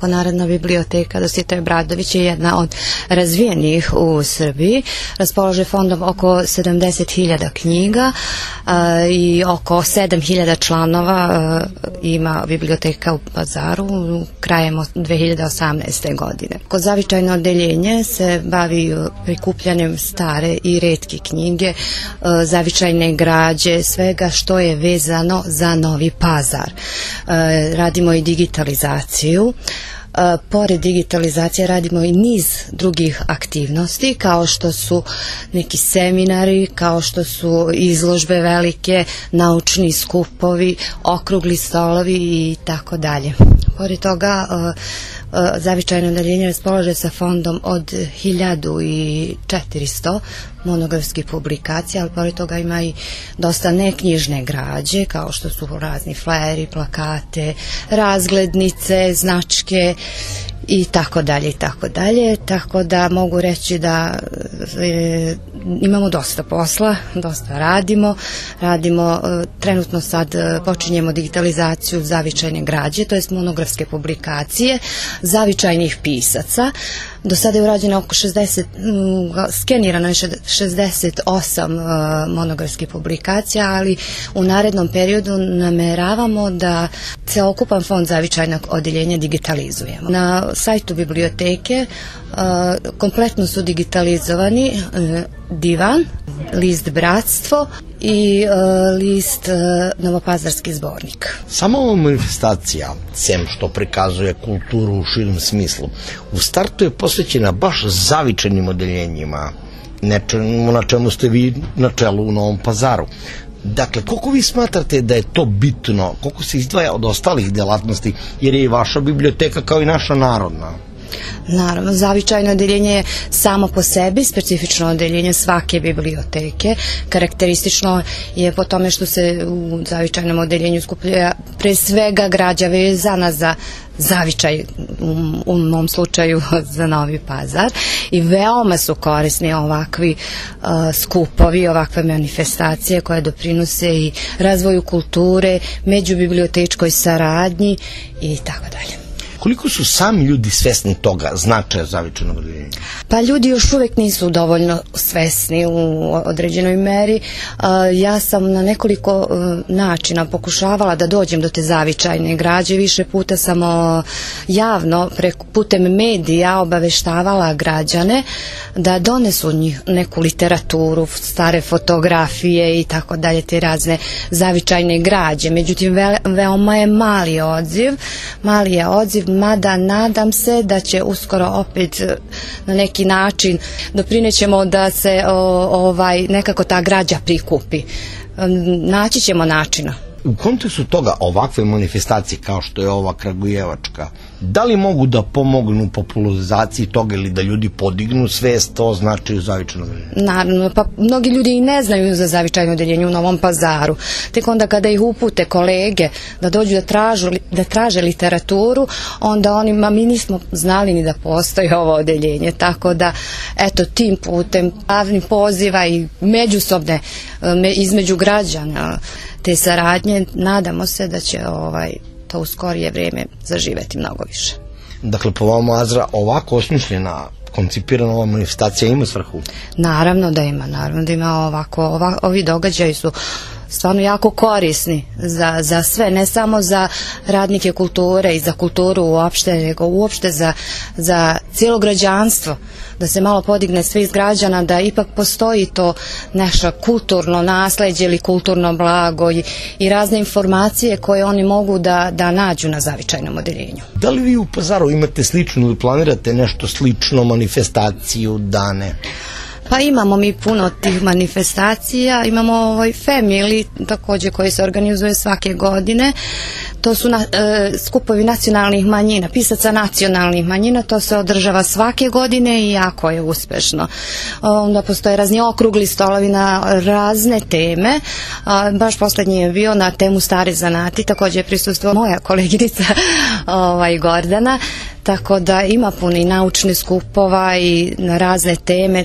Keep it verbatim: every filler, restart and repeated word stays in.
Narodna biblioteka Dositej Obradović je jedna od razvijenijih u Srbiji. Raspolaže fondom oko sedamdeset hiljada knjiga a, i oko sedam hiljada članova a, ima biblioteka u Pazaru krajem dve hiljade osamnaeste. godine. Kod zavičajno odeljenje se bavi prikupljanjem stare i retke knjige, a, zavičajne građe, svega što je vezano za Novi Pazar. A, radimo i digitalizaciju. Pored digitalizacije radimo i niz drugih aktivnosti kao što su neki seminari, kao što su izložbe velike, naučni skupovi, okrugli stolovi i tako dalje. Pored toga zavičajno odeljenje raspolaže sa fondom od hiljadu četiristo monografskih publikacija, ali pored toga ima i dosta neknjižne građe kao što su razni fleri, plakate, razglednice, značke i tako dalje i tako dalje, tako da mogu reći da e, imamo dosta posla, dosta radimo, radimo e, trenutno sad e, počinjemo digitalizaciju zavičajne građe, to jest monografske publikacije zavičajnih pisaca. Do sada je urađeno oko šezdeset, skenirano je šezdeset osam uh, monografskih publikacija, ali u narednom periodu nameravamo da celokupan fond zavičajnog odeljenja digitalizujemo. Na sajtu biblioteke uh, kompletno su digitalizovani uh, divan, list Bratstvo i uh, list uh, Novopazarski zbornik. Sama ova manifestacija, sem što prikazuje kulturu u širem smislu, u startu je posvećena baš zavičajnim odeljenjima, nečemu na čemu ste vi na čelu u Novom Pazaru. Dakle, koliko vi smatrate da je to bitno, koliko se izdvaja od ostalih delatnosti, jer je i vaša biblioteka kao i naša narodna? Naravno, zavičajno odeljenje je samo po sebi specifično odeljenje svake biblioteke. Karakteristično je po tome što se u zavičajnom odeljenju skuplja pre svega građa vezana za zavičaj, u, u mom slučaju za Novi Pazar, i veoma su korisni ovakvi uh, skupovi, ovakve manifestacije koje doprinose i razvoju kulture, međubibliotečkoj saradnji i tako dalje. Koliko su sami ljudi svesni toga značaja zavičajnog odeljenja? Pa ljudi još uvek nisu dovoljno svesni u određenoj meri. Ja sam na nekoliko načina pokušavala da dođem do te zavičajne građe. Više puta sam javno putem medija obaveštavala građane da donesu njih neku literaturu, stare fotografije i tako dalje, te razne zavičajne građe. Međutim, ve, veoma je mali odziv, mali je odziv, mada nadam se da će uskoro opet na neki način doprinećemo da se o, ovaj nekako ta građa prikupi. Naći ćemo načina. U kontekstu toga ovakve manifestacije kao što je ova kragujevačka, da li mogu da pomognu u popularizaciji toga ili da ljudi podignu svest o značaju zavičajnog odeljenja? Naravno, pa mnogi ljudi i ne znaju za zavičajno odeljenje u Novom Pazaru. Tek onda kada ih upute kolege da dođu da, tražu, da traže literaturu, onda oni, ma mi nismo znali ni da postoji ovo odeljenje. Tako da, eto, tim putem javnih poziva i međusobne između građana te saradnje, nadamo se da će ovaj to u skorije vrijeme zaživeti mnogo više. Dakle, po vama, Azra, ovako osmišljena, koncipirana ova manifestacija ima svrhu? Naravno da ima, naravno da ima ovako, ova, ovi događaji su stvarno jako korisni za, za sve, ne samo za radnike kulture i za kulturu uopšte, nego uopšte za, za cijelo građanstvo, da se malo podigne svih građana, da ipak postoji to naše kulturno nasleđe ili kulturno blago i, i razne informacije koje oni mogu da, da nađu na zavičajnom odeljenju. Da li vi u Pazaru imate slično ili planirate nešto slično, manifestaciju, dane? Pa imamo mi puno tih manifestacija, imamo ovaj Family također koji se organizuje svake godine, to su na, e, skupovi nacionalnih manjina, pisaca nacionalnih manjina, to se održava svake godine i jako je uspešno. Onda postoje razni okrugli stolovi na razne teme, a, baš poslednji je bio na temu stare zanati, također je prisustvovala moja koleginica ovaj, Gordana, tako da ima puno i naučnih skupova i na razne teme.